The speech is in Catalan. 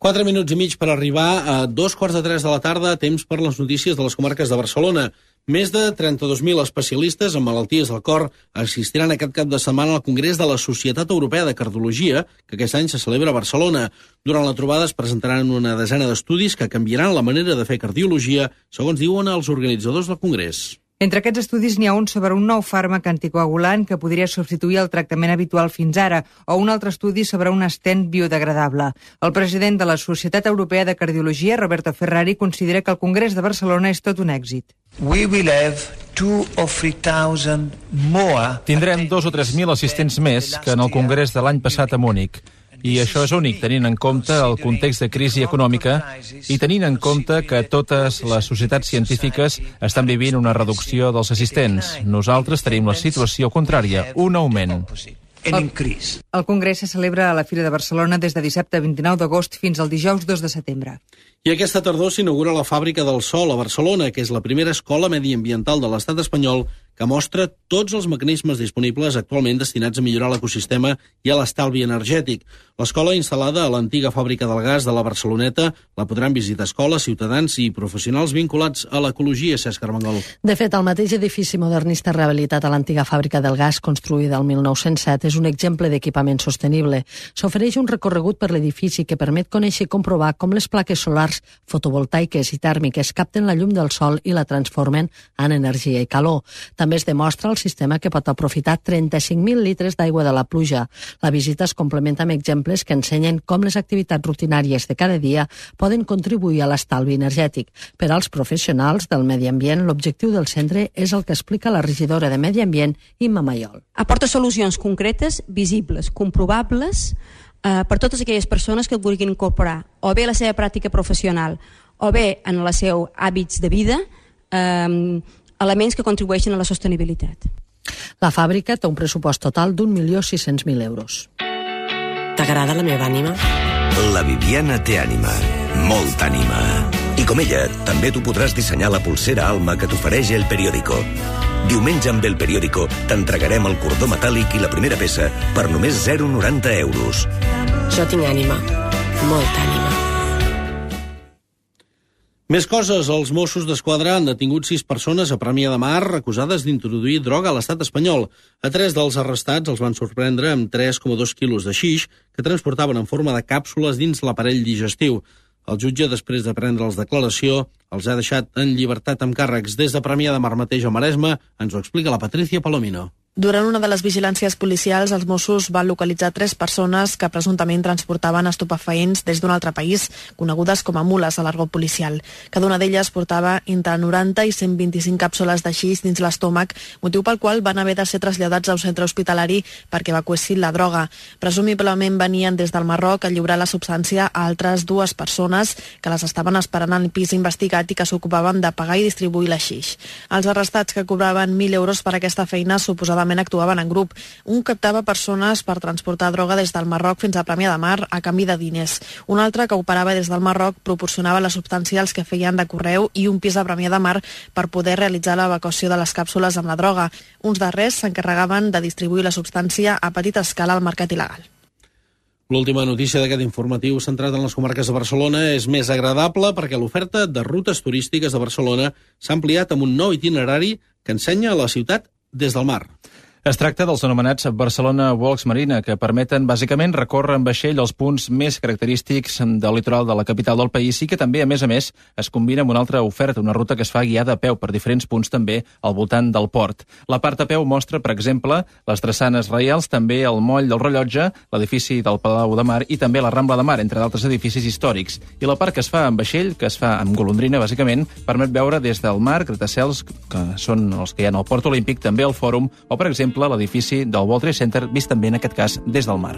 4 minuts i mig per arribar a 2:45 de la tarda, temps per les notícies de les comarques de Barcelona. Més de 32.000 especialistes en malalties del cor assistiran aquest cap de setmana al Congrés de la Societat Europea de Cardiologia, que aquest any se celebra a Barcelona. Durant la trobada es presentaran una desena d'estudis que canviaran la manera de fer cardiologia, segons diuen els organitzadors del Congrés. Entre aquests estudis n'hi ha un sobre un nou fàrmac anticoagulant que podria substituir el tractament habitual fins ara, o un altre estudi sobre un estent biodegradable. El president de la Societat Europea de Cardiologia, Roberto Ferrari, considera que el Congrés de Barcelona és tot un èxit. Tindrem 2.000 o 3.000 assistents més que en el Congrés de l'any passat a Múnich. I això és únic, tenint en compte el context de crisi econòmica i tenint en compte que totes les societats científiques estan vivint una reducció dels assistents. Nosaltres tenim la situació contrària, un augment. El Congrés se celebra a la Fira de Barcelona des de dissabte 29 d'agost fins al dijous 2 de setembre. I aquesta tardor s'inaugura la Fàbrica del Sol a Barcelona, que és la primera escola mediambiental de l'estat espanyol que mostra tots els mecanismes disponibles actualment destinats a millorar l'ecosistema i a l'estalvi energètic. L'escola, instal·lada a l'antiga fàbrica del gas de la Barceloneta, la podran visitar escoles, ciutadans i professionals vinculats a l'ecologia, Cesc Armengol. De fet, el mateix edifici modernista rehabilitat a l'antiga fàbrica del gas, construïda el 1907, és un exemple d'equipament sostenible. S'ofereix un recorregut per l'edifici que permet conèixer i comprovar com les plaques solars fotovoltaiques i tèrmiques capten la llum del sol i la transformen en energia i calor. També es demostra el sistema que pot aprofitar 35.000 litres d'aigua de la pluja. La visita es complementa amb exemples que ensenyen com les activitats rutinàries de cada dia poden contribuir a l'estalvi energètic. Per als professionals del medi ambient, l'objectiu del centre és el que explica la regidora de Medi Ambient, Imma Mayol. Aporta solucions concretes, visibles, comprovables, per totes aquelles persones que vulguin incorporar o bé a la seva pràctica professional o bé en els seus hàbits de vida, elements que contribueixen a la sostenibilitat. La fàbrica té un pressupost total d'1.600.000 euros. T'agrada la meva ànima? La Viviana té ànima, molta ànima. I com ella, també tu podràs dissenyar la pulsera Alma que t'ofereix El Periódico. Diumenge amb El Periódico t'entregarem el cordó metàl·lic i la primera peça per només 0,90 euros. Jo tinc ànima, molta ànima. Més coses. Els Mossos d'Esquadra han detingut 6 persones a Premià de Mar acusades d'introduir droga a l'estat espanyol. A 3 dels arrestats els van sorprendre amb 3,2 quilos de xix que transportaven en forma de càpsules dins l'aparell digestiu. El jutge, després de prendre'ls declaració, els ha deixat en llibertat amb càrrecs. Des de Premià de Mar mateix a Maresme ens ho explica la Patricia Palomino. Durant una de les vigilàncies policials, els Mossos van localitzar 3 persones que presumptament transportaven estupefaents des d'un altre país, conegudes com a mules a l'argot policial. Cada una d'elles portava entre 90 i 125 càpsules de xix dins l'estómac, motiu pel qual van haver de ser traslladats a un centre hospitalari perquè evacuessin la droga. Presumiblement venien des del Marroc a lliurar la substància a altres 2 persones que les estaven esperant al pis investigat i que s'ocupaven de pagar i distribuir la xix. Els arrestats, que cobraven 1.000 euros per aquesta feina, suposadament actuaven en grup. Un captava persones per transportar droga des del Marroc fins a Premià de Mar a canvi de diners. Un altre, que operava des del Marroc, proporcionava la substància als que feien de correu i un pis a Premià de Mar per poder realitzar l'evacuació de les càpsules amb la droga. Uns darrers s'encarregaven de distribuir la substància a petita escala al mercat il·legal. L'última notícia d'aquest informatiu centrat en les comarques de Barcelona és més agradable perquè l'oferta de rutes turístiques de Barcelona s'ha ampliat amb un nou itinerari que ensenya la ciutat des del mar. Es tracta dels anomenats Barcelona Walks Marina, que permeten bàsicament recórrer en vaixell els punts més característics del litoral de la capital del país i que també, a més, es combina amb una altra oferta, una ruta que es fa guiada a peu per diferents punts també al voltant del port. La part a peu mostra, per exemple, les drassanes reials, també el moll del Rellotge, l'edifici del Palau de Mar i també la Rambla de Mar, entre d'altres edificis històrics. I la part que es fa amb vaixell, que es fa amb golondrina, bàsicament, permet veure des del mar gratacels, que són els que hi ha al Port Olímpic, també el Fòrum, o, per exemple, l'edifici del World Trade Center, vist també en aquest cas des del mar.